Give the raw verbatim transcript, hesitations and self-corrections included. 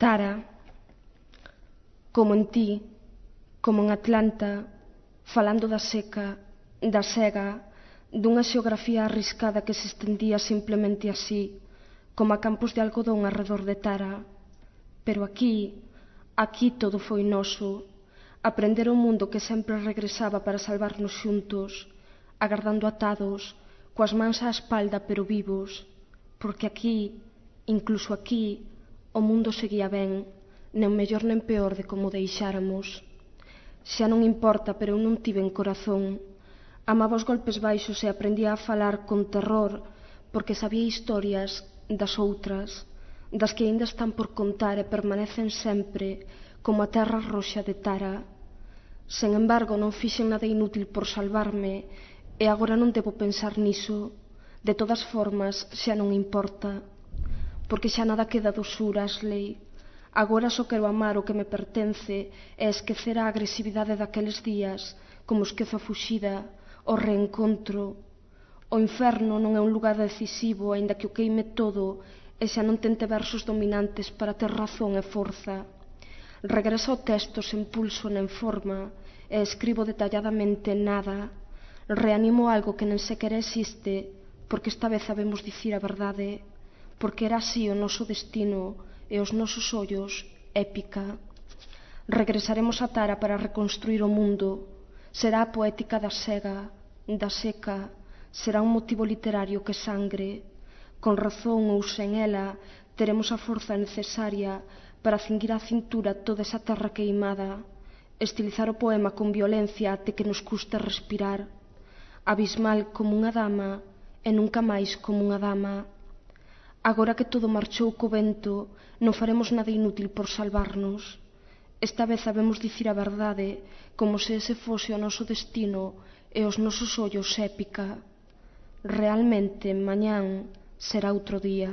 Tara, como en ti, como en Atlanta, falando da seca, da sega, dunha xeografía arriscada que se estendía simplemente así, como a campos de algodón arredor de Tara. Pero aquí, aquí todo foi noso, aprender o mundo que sempre regresaba para salvarnos xuntos, agardando atados, coas mans á espalda pero vivos, porque aquí, incluso aquí, o mundo seguía ben, nen mellor nen peor de como deixáramos. Xa non importa, pero eu non tiven corazón. Amaba os golpes baixos e aprendía a falar con terror, porque sabía historias das outras, das que aínda están por contar e permanecen sempre, como a terra roxa de Tara. Sen embargo, non fixen nada inútil por salvarme, e agora non debo pensar niso. De todas formas, xa non importa. Porque xa nada queda do sur, Ashley. Agora só quero amar o que me pertence e esquecer a agresividade daqueles días, como esquezo a fuxida, o reencontro. O inferno non é un lugar decisivo, aínda que o queime todo e xa non tente versos dominantes para ter razón e forza. Regreso ao texto sen pulso nen forma e escribo detalladamente nada. Reanimo algo que nen sequera existe, porque esta vez sabemos dicir a verdade, porque era así o noso destino e os nosos ollos épica. Regresaremos a Tara para reconstruir o mundo. Será a poética da sega, da seca, será un motivo literario que sangre. Con razón ou sen ela, teremos a forza necesaria para cinguir a cintura toda esa terra queimada, estilizar o poema con violencia até que nos custe respirar, abismal como unha dama e nunca máis como unha dama. Agora que todo marchou co vento, non faremos nada inútil por salvarnos. Esta vez sabemos dicir a verdade, como se ese fose o noso destino e os nosos ollos épica. Realmente, mañán será outro día.